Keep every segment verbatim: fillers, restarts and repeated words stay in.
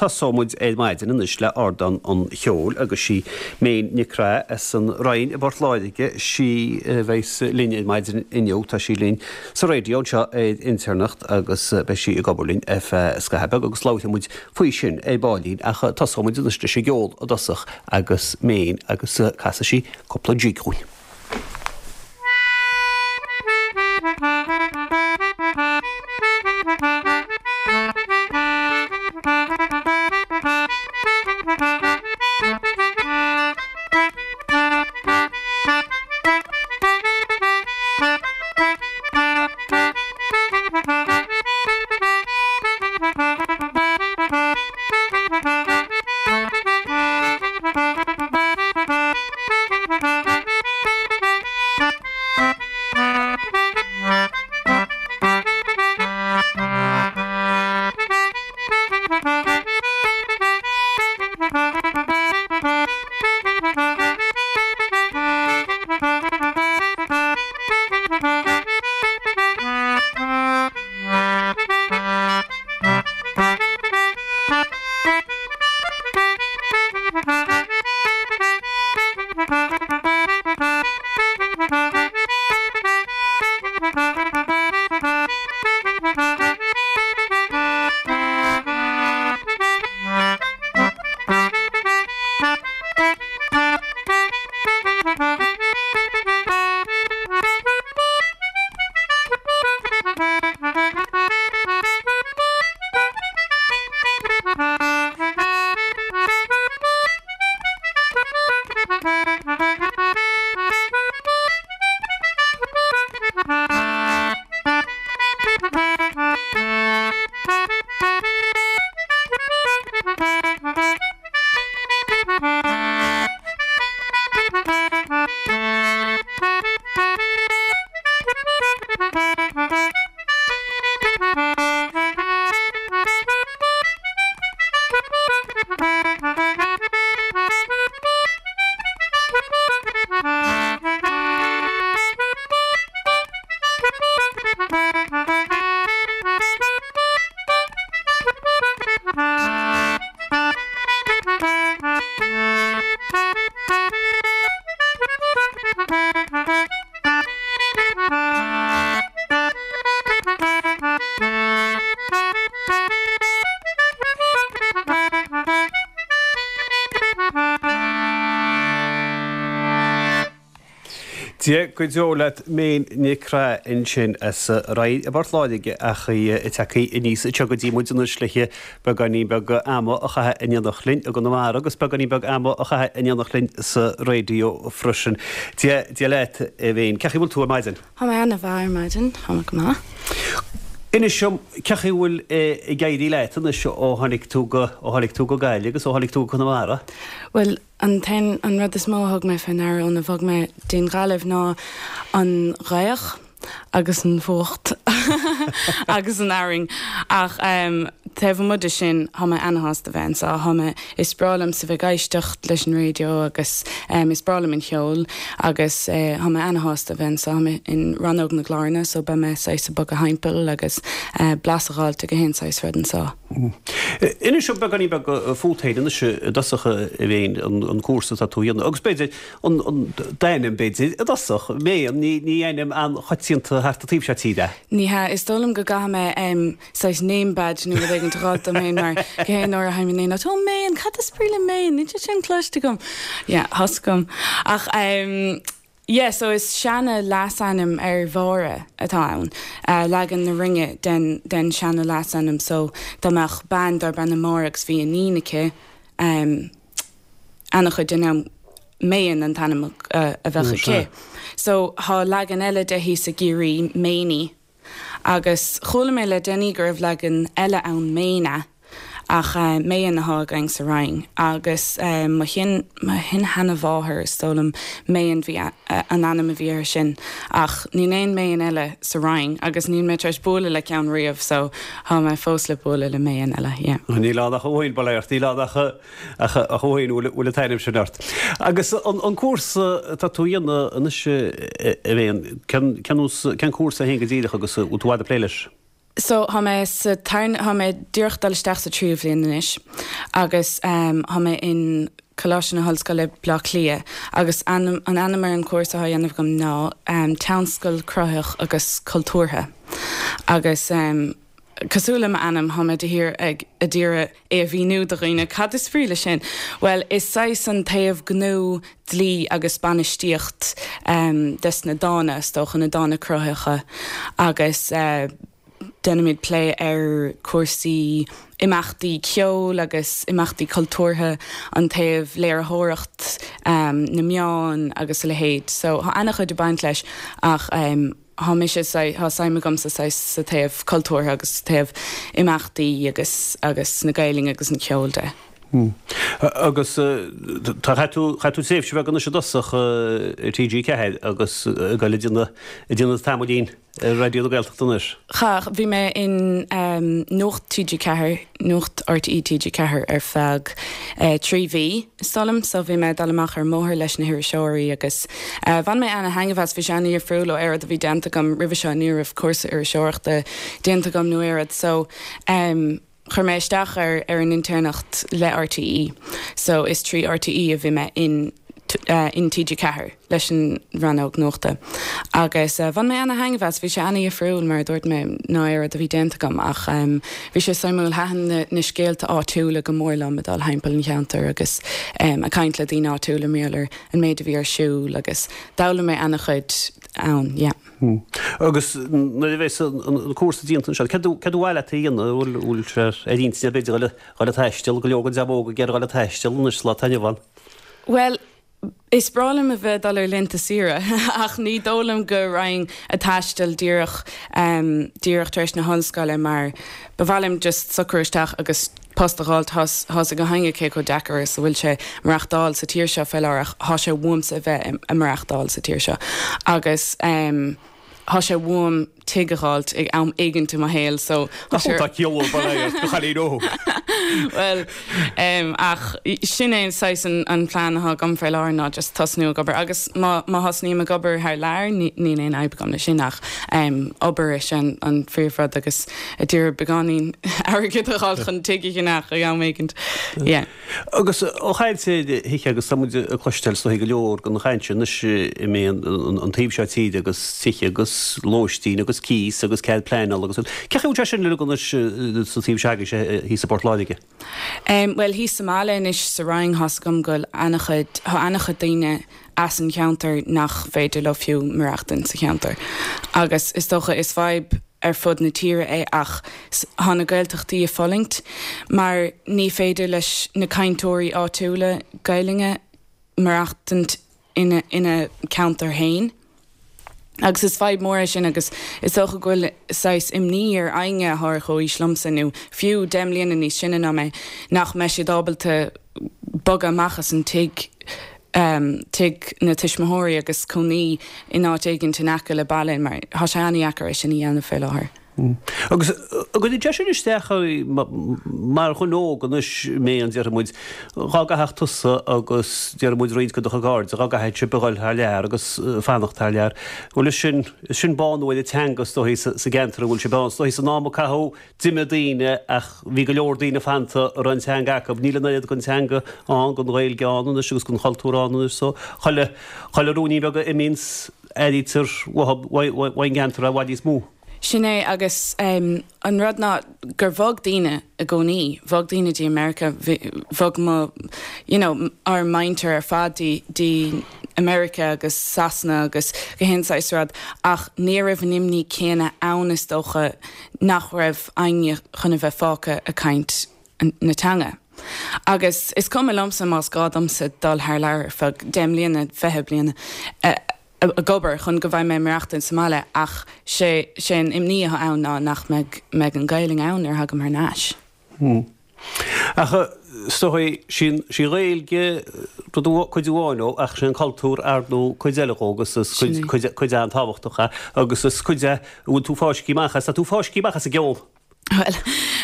tosóidh muid ar maidin anois le Ardán an Cheoil agus sí Méan Nic Craith as an Rinn i bPort Láirge, sí a bheas linn ar maidin inniu. Tá sí linn sa raidió anseo ar Inter anocht agus beidh sí ag obair linn ar feadh scaitheamh beag agus labharfaidh muid faoi sin ar baillín ach tosóidh muid anois leis an gceol i dtosach agus Méan agus casfaidh sí cúpla jig dhúinn. Dia go deo leat Méan Nic Craith ansin as Rinn i bPort Láirge ach í ag teacht aníos anseo go dtí muid anois le beagáinín beag ama a chaitheamh in éineacht linn i gConamara agus beagáinín beag ama a chaitheamh in éineacht linn sa raidió freisin. Dia Dia leat a Mhéan, cén chaoi a bhfuil tú ar maidin? Tá mé ana-mhaith ar maidin, tá mé go maith. Inis dom cén chaoi a bhfuil ag éirí leat anois ó tháinig tú go ó tháinig tú go Gaillimh agus ó tháinig tú go Conamara? Well, an t-aon an rud is mó a thug mé faoi ndeara óna bhog mé dtí'n Ghaillimh ná an ghaoth agus an fuacht agus an fhearthainn ach um, taobh amuigh de sin tá mé ana-shásta bheith anseo tá mé is breá liomsa bheith ag éisteacht leis an raidió agus um, is breá liom an ceol agus uh, tá mé ana-shásta bheith anseo tá mé in rannóg na gcláranna so beidh mé saghas ag bogadh timpeall agus uh, blas a fháilt ag aon saghas rud anseo. Inis dom beagáinín beag fút féin anois i dtosach a Mhéan an cúrsa atá tú a dhéanamh agus b'fhéidir an d'ainm b'fhéidir i dtosach Méan ní ní ainm an-choitianta thart an taobh seo tíre. Ní hea is dóigh liom go gcaithfidh mé um, saghas name badge nó rud éigin a fháil dom féin mar gach aon uair a théim in aon áit, ó Méan, cad is brí le Méan, níl sé sin cloiste agam. Yeah, tá agam. Ach um, Yeah, so is seana leasainm ar Mháire atá ann. Uh, leagan na Rinne den, den seana leasainm so dá mbeadh bean darb ainm Máire agus bhí iníon aici um, an-chuid den am Méan an t-ainm uh, a bheadh aici. So tá leagan eile de thíos i gCiarraí Méiní. Agus chuala mé le déanaí go raibh leagan eile ann Méana ach uh, Méan atá againn sa Rinn agus uh, mo shin mo shin-sheanmháthair is dóigh liom Méan bhí an ainm a bhí air sin ach níl aon Méan eile sa Rinn agus níl mé tar éis bualadh le ceann riamh so tá mé fós le bualadh le Méan eile yeah. Níl ann ach amháin bail níl ann ach ach amháin bhfuil an t-ainm sin ort. Agus an, an cúrsa atá tú a dhéanamh anois a Mhéan cén cúrsa féin go díreach agus bhfuil tú ag plé leis? So tá mé sa tá mé díreach dul isteach sa tríú bhliain anois agus um, tá mé in Coláiste na hOllscoile Bleá Cliath agus an an ainm ar an cúrsa atá á dhéanamh agam ná um, Tionscal Cruthaitheach agus Cultúrtha. Agus um, cosúil le m'ainm tá mé de shíor ag iarraidh é a mhíniú do dhaoine cad is brí le sin. Well is saghas an taobh gnó dlí agus bainistíocht um, des na dána is dócha na dána cruthaitheacha agus uh, déanaimid plé ar cúrsaí imeachtaí ceoil agus imeachtaí cultúrtha an taobh léiritheoireacht um, na meán agus a leithéid. So tá an-chuid ag baint leis ach um, Tá mise tá suim agamsa sa taobh cultúrtha agus taobh imeachtaí agus agus na Gaeilge agus an ceol de. Hmm. Agus tá tú tú tréimhse bheag anois i dtosach ar TG Ceathair agus go le déanamh tamaillín Raidió na Gaeltachta anois. Cha bhí mé in um, Nuacht TG Ceathair Nuacht RTÉ TG Ceathair ar feadh uh, trí mhí solam so bhí mé dul amach ar mbóthar leis na hiriseoirí agus uh, bhain mé an-taitneamh as bhí sé an-difriúil ó aon rud a bhí déanta agam roimhe seo ní raibh cúrsa iriseoireachta déanta agam nó aon rud so um, chuir mé isteach ar ar an intéirneacht le RTÉ so is trí RTÉ a bhí mé in uh, in TG Ceathair leis an rannóg nuachta. Agus uh, bhain mé an-taitneamh as bhí sé an-difriúil mar dúirt mé ná aon rud a bhí déanta agam ach um, bhí sé suimiúil thaitin na, na scéalta áitiúla go mór liom dul timpeall an cheantar agus um, ag caint le daoine áitiúla mar gheall ar an méid a bhí ar siúl agus d'fhoghlaim mé an-chuid ann, yeah. Hmm. Agus nuair a bheas an cúrsa déanta anseo, cad ba mhaith leat a dhéanamh bhfuil sé ar intinn b'fhéidir le le taisteal go leor den dream óg ag iarraidh le taisteal anois lá taitneamh ann. Well, Is breá liom a bheith dul ar laethanta saoire ach ní dóigh liom go raghainn ag taisteal díreach um, díreach tar éis na hollscoile mar ba mhaith liom just socrú isteach agus post a fháil tá a fhios againn cé chomh deacair is a bhfuil sé maireachtáil sa tír seo faoi láthair tá sé uaimse a bheith ag maireachtáil sa tír seo agus um, Tá sé uaim tigh a fháilt ag am éigin i mo shaol so Tá chailín óg. Well um, ach sin é saghas an, an plean atá agam faoi láthair ná just tosnú ag obair agus má má thosnaím ag obair thar lear ní aon fhadhb agam le sin ach um, obair is an, an phríomhrud agus a dúr beagáinín airgid a fháil chun tigh a cheannach ag am éigin. Yeah. Agus ó chaint thithe agus tá muid ag cloisteáil is dóigh go leor den chaint anois i mé an taobh seo tíre agus tithe agus lóistín agus cíos agus cead pleanála agus cé chaoi sé sin le anois sa taobh seo thíos i bPort Láirge? Um, well thíos sa mbaile anois sa Rinn tá a fhios agam go bhfuil an-chuid tá an-chuid daoine as an cheantar nach féidir leo fiú maireachtaint sa cheantar. Agus is dócha is fadhb ar fud na tíre é ach tá na Gaeltachtaí ag fulaingt, mar ní féidir leis na cainteoirí áitiúla Gaeilge maireachtaint ina ina ceantar féin. Agus is fadhb mór é sin agus is dócha go bhfuil saghas imní ar éinne atá ar chomhaois liomsa nó fiú deich mbliana níos sine ná mé nach mbeidh siad ábalta bogadh amach as an tigh um, tigh na tuismitheoirí agus cónaí in áit éigin in aice le baile mar tá sé an-deacair é sin a dhéanamh faoi láthair. Mm. Agus go dté sin isteach mar dhuine óg anois mé an déarfaidh muid dhá gcaithfeadh tusa agus déarfaidh muid roinnt de do chairde, dhá gcaithfidh sibh a dhul thar lear agus fanacht thar lear. Bhuel is sin is sin bánú ar an teanga is dóigh sa gceantar a bhfuil sibh ann. Is dóigh san am a caitheadh d'imigh daoine ach bhí go leor daoine fanta a raibh an teanga acu. Níl an oiread den teanga ann, den Ghaeilge ann anois agus den chultúr ann anois so chuile chuile rúinín beag a imíonns airítear uathu uaidh an gceantar i bhfad níos mó. Sin é agus um, an rud ná gur bhog daoine i gcónaí, bhog daoine dtí America, bhog mo you know, ár muintir ar fad dtí dtí America agus Sasana agus gach aon saghas rud ach ní raibh an imní céanna ann is dócha nach raibh éinne chun a bheith fágtha ag caint na teanga. Agus is cuma liomsa más gá domsa dul thar lear ar feadh deich mbliana fiche bliana. Uh, ag obair chun go bhfaighidh mé maireachtaint sa mbaile ach sé sé an imní atá ann ná nach mbeidh mbeidh an Ghaeilge ann nuair a thagaim thar n-ais. Hmm. Ach is dóigh sin sí Ghaeilge rud cuid amháin ó ach sin cultúr ar nó cuid eile dhó agus is cuid cuid cuid an-tábhachtach é agus is cuid é a bhfuil tú fáiscthe amach as tá tú fáiscthe amach as an gceol. Well,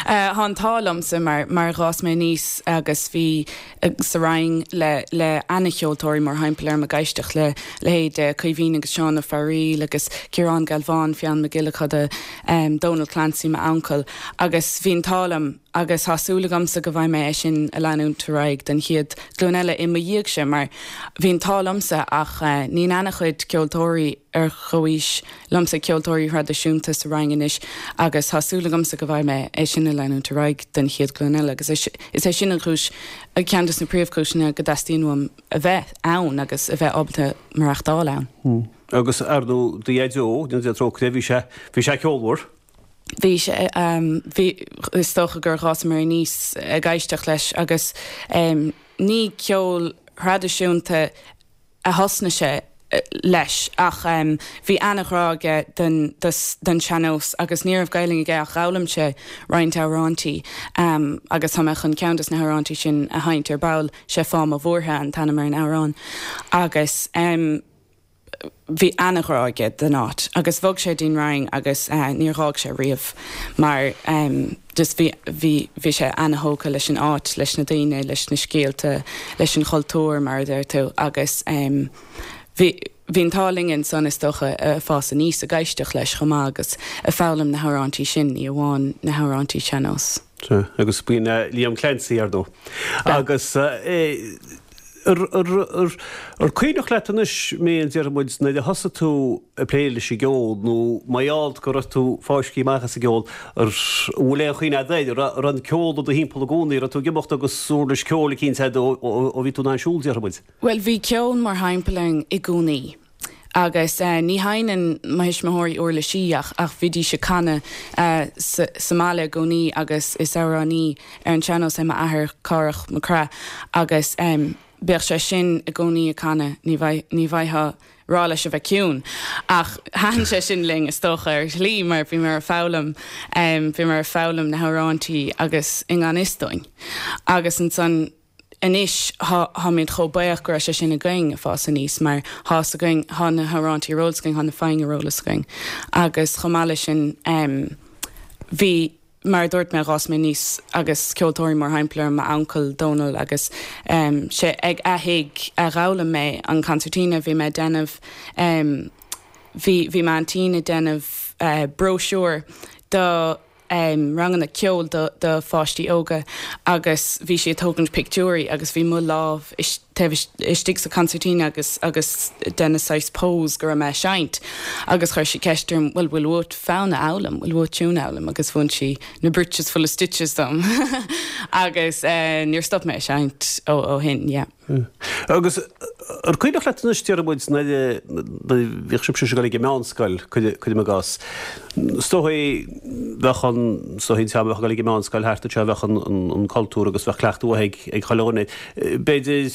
uh, an t-ádh liomsa mar mar d'fhás mé aníos agus bhí uh, sa Rinn le le an-cheoltóirí mórthimpeall orm ag éisteacht le leithéid Caoimhín agus Seán Ó Fearghaíl agus Ciarán Galván Fionn Mac Giolla Coda um, Donal Clancy m'uncail agus bhí an t-ádh liom agus tá súil agamsa go bhfaighidh mé é sin a leanúint ar aghaidh den chéad ghlúin eile i mo dhiaidhse mar bhí an t-ádh liomsa ach uh, níl an-chuid ceoltóirí ar chomhaois liomsa ceoltóirí traidisiúnta sa Rinn anois agus tá súil agamsa go bhfaighidh mé é sin a leanúint ar aghaidh den chéad ghlúin eile agus is é sin an chúis a ceann de na príomhchúiseanna go dteastaíonn uaim a bheith ann agus a bheith ábalta maireachtáil ann. Hmm. Agus ar ndóigh do dhaideo de trócaire bhí sé bhí sé ceolmhar. Bhí sé um, bhí is dócha gur dh'fhás mé aníos ag éisteacht leis agus um, ní ceol traidisiúnta a thosnaigh sé eh, leis ach um, bhí an-ghrá aige den, den sean-nós agus ní raibh Gaeilge aige ach d'fhoghlaim sé roinnt amhráintí um, agus tá mé chun ceann des na hamhráintí sin a sheinnt ar ball sé fá mo bhuartha an t-ainm ar an amhrán agus um, bhí an-ghrá aige don áit agus bhog sé dtí'n Rinn agus uh, níor dh'fhág sé riamh mar um, just bhí bhí bhí sé an-tógtha leis an áit leis na daoine leis na scéalta leis an chultúr mar a deir tú agus um, bhí bhí an t-ádh linn ansan is dócha uh, fás aníos ag éisteacht leis chomh maith agus ag foghlaim na hamhráintí sin ní amháin na hamhráintí sean-nós. agus b'in uh, Liam Clancy ar ndóigh. Agus uh, Ar cuimhneach leat anois mé an deir muid nuair a thosaigh tú ag plé leis an gceol nó mar go raibh tú fáiscthe amach as an gceol ar bhfuil aon chuimhne agat ar an ceol i do thimpeall i gcónaí tú ag imeacht agus uirlis ceoil cinnte ó bhí tú ag siúl deir muid. Well bhí ceol mórthimpeall orainn i gcónaí. Agus uh, ní sheinneann mo thuismitheoirí uirlisí ach ach bhídís ag canadh uh, sa, sa mbaile i gcónaí agus is amhránaí ar an sean-nós é m'athair Cárthach Mac Craith agus um, bheadh sé sin i gcónaí ag canadh ní ní bhféadfá rá leis a bheith ciúin. Ach thaitin sé sin linn is dócha ar shlí mar bhí mar foghlaim um, bhí mar foghlaim na hamhráintí agus i ngan fhios dúinn. Agus ansan anois táimid chomh buíoch go raibh sé sin againn ag fás aníos mar tá againn tá na hamhráintí ar eolas againn tá na foinn ar eolas againn. Agus chomh maith leis sin um, bhí mar dúirt mé d'fhás mé aníos agus ceoltóirí mórthimpeall m'uncail Donal agus um, sé ag a thigh a d'fhoghlaim mé an concertina bhí mé déanamh um, bhí bhí m'aintín ag déanamh uh, brochure do um, ranganna ceoil do, do pháistí óga agus bhí sí ag tógaint pictiúirí agus bhí mo lámh istigh sa concertina agus agus déanamh saghas pose go raibh mé ag seinnt agus chuir sí ceist orm bhfuil bhfuil uait fonn a fhoghlaim bhfuil uait tune a fhoghlaim agus mhúin sí na britches full of stitches dom agus uh, níor stop mé seinnt ó ó shin yeah. Agus ar cuimhneach leat anois deir muid bhí sibh ag dul ag meánscoil cuirim i gcás. Stoí bheith an stoí bheith ag meánscoil thart se bheith an cultúr agus bheith cleachtadh ag ag cholóne. B'fhéidir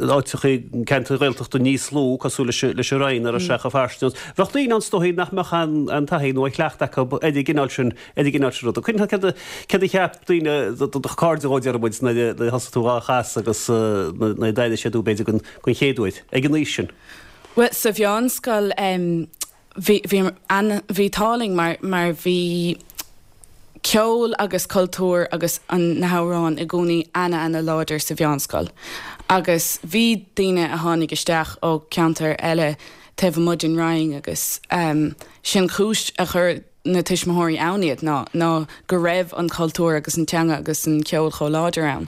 áiteacha ceantair Ghaeltachta níos lú cosúil leis an Rinn ar a secha fearst. Bheadh daoine an stoí nach mbeadh an an taithí nó cleachtadh acu ar an gcineál sin ar an gcineál sin rud. Cuimhneach cad a cheap daoine do chairde deir muid nuair a thosaigh tú á chasadh agus na daide sé tú b'fhéidir gon gon chéad uair ag an aois sin. Well sa mheánscoil um, bhí bhí táling mar mar bhí ceol agus cultúr agus an na hamhráin i gcónaí ana ana láidir sa mheánscoil. Agus bhí daoine a tháinig isteach ó ceantar eile taobh amuigh den Rinn agus um, sin cúis a chur na tuismitheoirí ann iad ná ná go raibh an cultúr agus an teanga agus an ceol chomh láidir ann.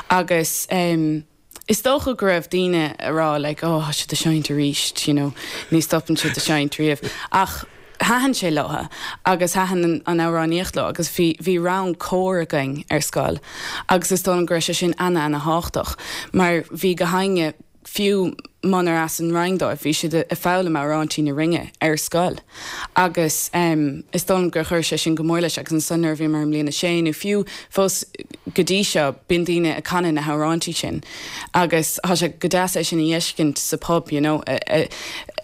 Agus um, Is dócha go raibh daoine ag rá like, oh, siad ag seinnt arís, you know, ní stopann siad ag seinnt riamh. Ach thaitin sé leo agus thaitin an, an amhránaíocht leo agus bhí bhí rang cór againn ar scoil. Agus is dóigh go raibh sé sin ana ana thábhachtach, mar bhí gach éinne fiú munar as an Rinn dóibh bhí siad ag foghlaim amhráintí na Rinne ar scoil. Agus um, is dóigh gur chuir sé sin go mór leis agus ansan nuair a bhí mé i mbliain a sé nó fiú fós go dtí seo bíonn daoine ag canadh na hamhráintí sin. Agus tá sé go deas é sin a fheiscint sa pub you know,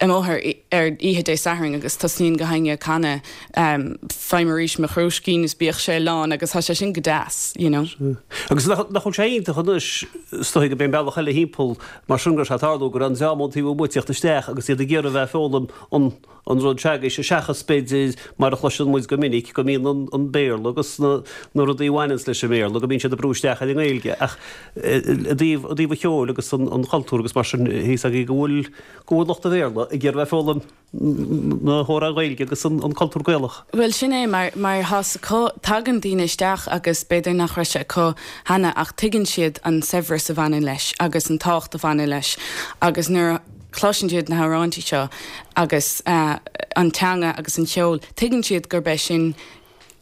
amuigh ar oíche Dé Sathairn agus tosaíonn gach éinne ag canadh um, faighim arís mo chrúiscín is bíodh sé lán agus tá sé sin go deas you know. Agus nach sé iontach anois Is dóigh go b'é an bealach eile thimpeall mar sin go raibh sé ag tarlú go raibh an dream ón taobh amuigh ag tíocht isteach agus iad ag iarraidh a bheith ag foghlaim an an rud s'agaibhse seachas b'fhéidir mar a chloiseann muid go minic go mbíonn an an Béarla agus na na rudaí a bhaineanns leis an mBéarla go mbíonn siad ag brú isteach ar an nGaeilge ach i dtaobh i dtaobh an cheoil agus an an chultúr agus mar sin thíos agaibh go bhfuil go bhfuil lucht an Bhéarla ag iarraidh a bheith ag foghlaim na hamhráin Ghaeilge agus an an cultúr Gaelach. Bhuel sin é mar mar thá's acu tagann daoine isteach agus b'fhéidir nach raibh sé acu cheana ach tuigeann siad an saibhreas a bhaineann leis agus an tábhacht a bhaineann leis agus nuair a chloiseann siad na hamhráintí seo agus an teanga agus an cheol tuigeann siad gurb é sin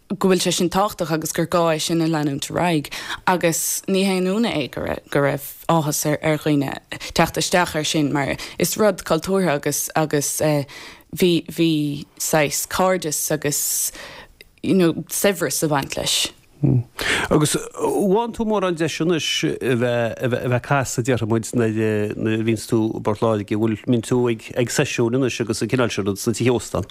go bhfuil sé sin tábhachtach agus gur gá é sin a leanúint ar aghaidh agus ní haon ionadh é go raibh go raibh áthas ar ar dhaoine teacht isteach air sin mar is rud cultúrtha agus agus bhí bhí saghas cairdeas agus you know saibhreas ag baint leis. Agus bhfaigheann tú mórán deis anois a bheith a bheith ag casadh déarfaidh muid nuair nuair a bhíonns tú i bPort Láirge, bhfuil mbíonn tú ag ag seisiúin anois agus an cineál sin rud sna tithe óstán?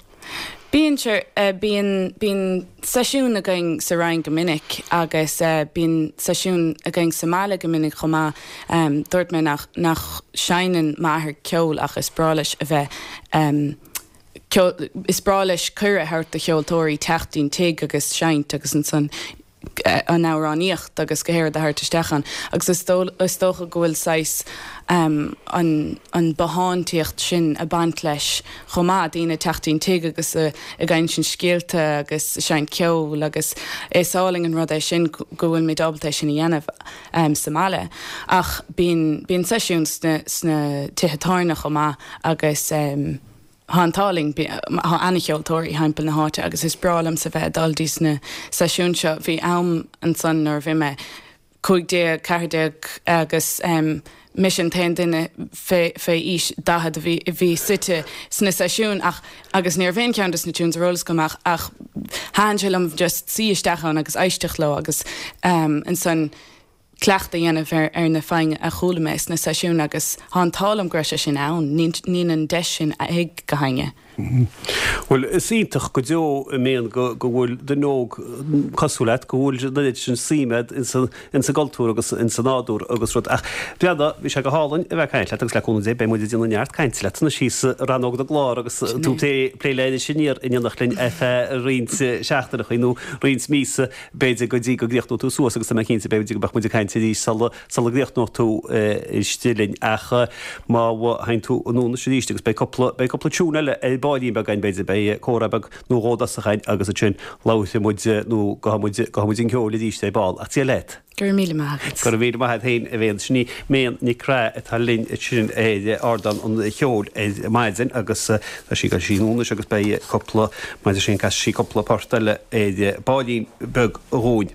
Bíonn sure bíonn bíonn seisiúin againn sa Rinn go minic agus bíonn seisiúin againn sa mbaile go minic chomh maith. Dúirt mé nach nach seinneann m'athair ceol ach is breá leis a bheith Is breá leis cuireadh a thabhairt do cheoltóirí teacht dtí'n tigh agus seinnt agus ansan an amhránaíocht agus gach aon rud a thabhairt isteach ann agus is dócha go bhfuil saghas an an bothántaíocht sin ag baint leis chomh maith, daoine ag teacht dtí'n tigh agus ag insint scéalta agus ag seinnt ceoil agus is álainn an rud é sin go bhfuilimid ábalta é sin a dhéanamh sa mbaile. Ach bíonn bíonn seisiúin sna sna tithe tábhairne chomh maith agus. Tá an t-ádh linn, tá ana-cheoltóirí thimpeall na háite agus is breá liomsa bheith ag dul dtí sna seisiúin seo. Bhí am ansan nuair a bhí mé cúig déag, ceathair déag agus mise an t-aon duine fé fé aois daichead a bhí a bhí suite sna seisiúin ach agus ní raibh aon cheann des na tunes ar eolas agam ach ach thaitin sé liom just suí isteach ann agus éisteacht leo agus ansan cleachtadh a dhéanamh ar ar na foinn a chuala mé sna seisiúin agus tá an t-ádh liom go raibh sé sin ann. Níl an deis sin ag gach éinne. Bhuel, is iontach go deo a Mhéan go go bhfuil duine óg cosúil leat, go bhfuil an oiread sin suime agat ins an ins an gcultúr agus ins an nádúr agus rud. Ach breathnaigh, bhí sé go hálainn a bheith ag caint leat agus le cúnamh Dé beidh muid ag déanamh neart cainte leat anois thíos i rannóg na gclár agus tú ag plé plé le Iris Aniar in éineacht linn ar feadh roinnt seachtaineacha nó roinnt míosa b'fhéidir go dtí go gcríochnóidh tú suas agus tá mé cinnte b'fhéidir go mbeadh muid ag caint arís sula sula gcríochnóidh tú istigh linn ach má théann tú anonn anois arís agus beidh cúpla beidh cúpla tune eile ar baillín beag againn b'fhéidir beidh comhrá beag nó dhó i dtosach againn agus ansin labharfaidh muid nó gabhfaidh muid gabhfaidh muid an ceol arís ar ball ach Dia leat. Go raibh míle maith agat. Go raibh míle maith agat féin a Mhéan. Sin í Méan Nic Craith atá linn ansin ar ardán an cheoil ar maidin agus tá sí ag dul anonn anois agus beidh cúpla, maidir sin casfaidh sí cúpla port eile ar baillín beag dhúinn.